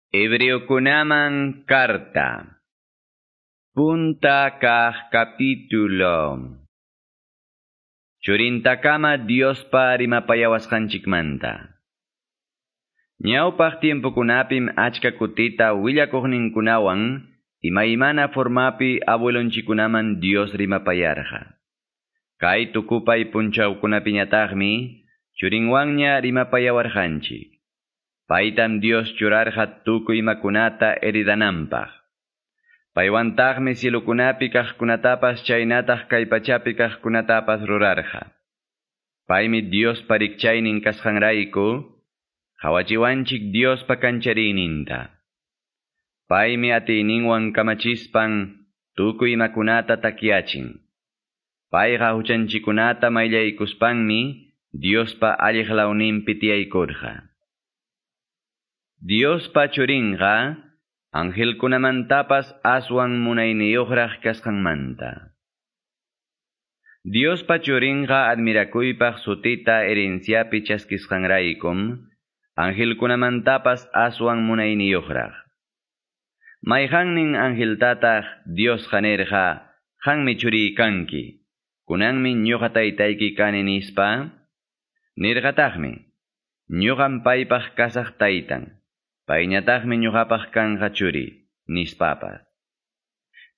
Hebreokunaman carta. Punta kaq capítulo. Churintakama Diospa rimapayawasqanchikmanta. Ñawpaq tiempokunapim achka kutita willakuqninkunawan imaymana formapi abuelonchikunaman Dios rimapayarqa. Kay tukupay punchawkunapiñataqmi churinwanña rimapayawarqanchik. Paytam Dios churarqa tukuy imakunata heredananpaq. Paywantaqmi cielokunapi kaqkunatapas chaynataq kay pachapi kaqkunatapas rurarqa. Paymi Diospa rikchaynin kasqanrayku, qawachiwanchik Diospa kanchariyninta. Paymi atiyninwan kamachispan tukuy imakunata takyachin. Payqa huchanchikunata mayllaykuspanmi Diospa alliq lawninpi tiyaykurqa. Diospa churinqa angelkunamantapas aswan munayniyuqraq kasqanmanta. Diospa churinqa admirakuypaq sutita herenciapi chaskisqanraykum angelkunamantapas aswan munayniyuqraq. Mayqannin angeltataq Diosqa nirqa, qanmi churiy kanki, kunanmi ñuqa taytayki kani nispa? Nirqataqmi, ñuqam paypaq kasaq taytan. Payñataqmi ñuqapaq kanqa churi, nispapas.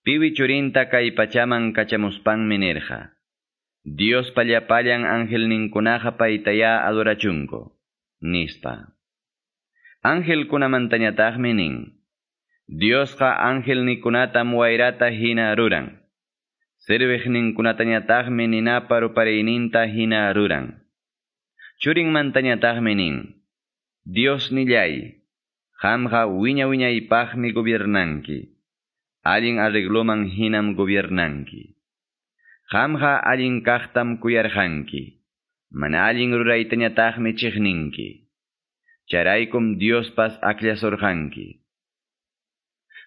Piwi churinta kay pachaman kachamuspanmi nirqa. Diospa llapallan angelninkunaqa paytayá adorachunku, nispa. Angelkunamantañataqmi nin. Diosqa angelnikunatam wayrata hina ruran. Serviqninkunatañataqmi ninapa rupariyninta hina ruran. Churinmantañataqmi nin. Dios nillay, qamqa wiña wiñaypaqmi gobiernanki. Allin arregloman hinam gobiernanki. Qamqa allin kaqtam kuyarqanki. Mana allin ruraytañataqmi chiqninki. Chayraykum Diospas akllasurqanki.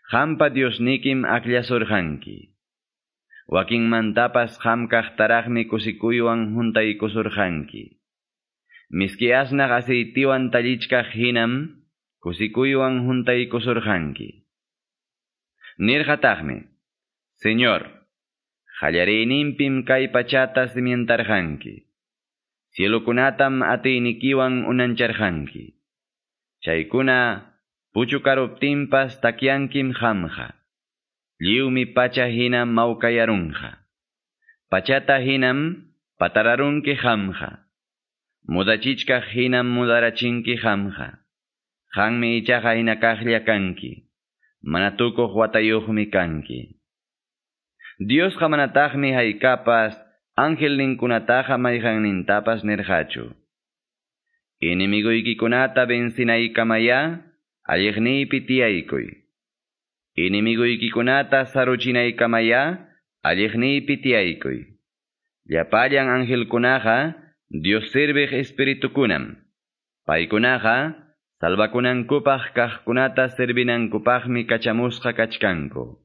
Qampa Diosnikim akllasurqanki. Wakinmantapas qam kaqtaraqmi kusikuywan huntaykusurqanki. Miski asnaq aceitiwan tallichkaq hinam kusikuywan huntaykusurqanki. Nirqataqmi, Señor, qallariyninpim kay pachata cimientarqanki. Cielokunatam atiynikiwan unancharqanki. Chaykuna puchukaruptinpas takyankim qamqa. Lliwmi pacha hina mawkayarunqa. Pachata hinam patararunki qamqa. Mudachichkaq hinam mudarachinki qamqa. Qanmi ichaqa hina kaqlla kanki. Mana tukuq watayuqmi kanki. Diosqa manataqmi haykapas angelninkunataqa mayqannintapas nirqachu. Enemiguykikunata vencinaykamayá alliqniypi tiyaykuy. Enemiguykikunata saruchinaykamayá alliqniypi tiyaykuy. Llapallan angelkunaqa Dios serviq espiritukunam. Paykunaqa salvakunankupaq kaqkunata servinankupaqmi kachamusqa kachkanku.